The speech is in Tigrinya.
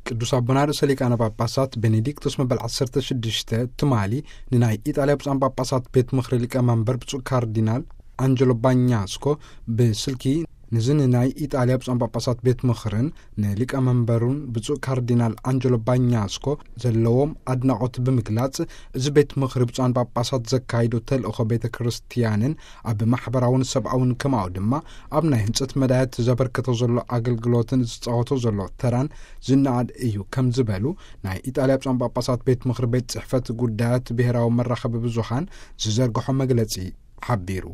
ቅዱስ ኣቦና ርእሰ ሊቃነ ጳጳሳት ቤኔዲክቶስ መበል ዓሰርተ ሽዱሽተ ትማሊ ንናይ ኢጣልያ ብፁዓን ጳጳሳት ቤት ምኽሪ ሊቀ መንበር ብፁዕ ካርዲናል ኣንጀሎ ባኛስኮ ብስልኪ፣ ንዚ ንናይ ኢጣልያ ብፁዓን ጳጳሳት ቤት ምኽርን ንሊቀ መንበሩን ብፁዕ ካርዲናል ኣንጀሎ ባኛስኮ ዘለዎም ኣድናቖት ብምግላጽ፣ እዚ ቤት ምኽሪ ብፁዓን ጳጳሳት ዘካይዶ ተልእኾ ቤተ ክርስቲያንን ኣብ ማሕበራውን ሰብኣውን ከማኡ ድማ ኣብ ናይ ህንጸት መዳያት ዘበርከቶ ዘሎ ኣገልግሎትን ዝጻወቶ ዘሎ ተራን ዝነኣድ እዩ ከም ዝበሉ ናይ ኢጣልያ ብፁዓን ጳጳሳት ቤት ምኽሪ ቤት ጽሕፈት ጉዳያት ብሔራዊ መራኸቢ ብዙሃን ዝዘርግሖ መግለጺ ሓቢሩ።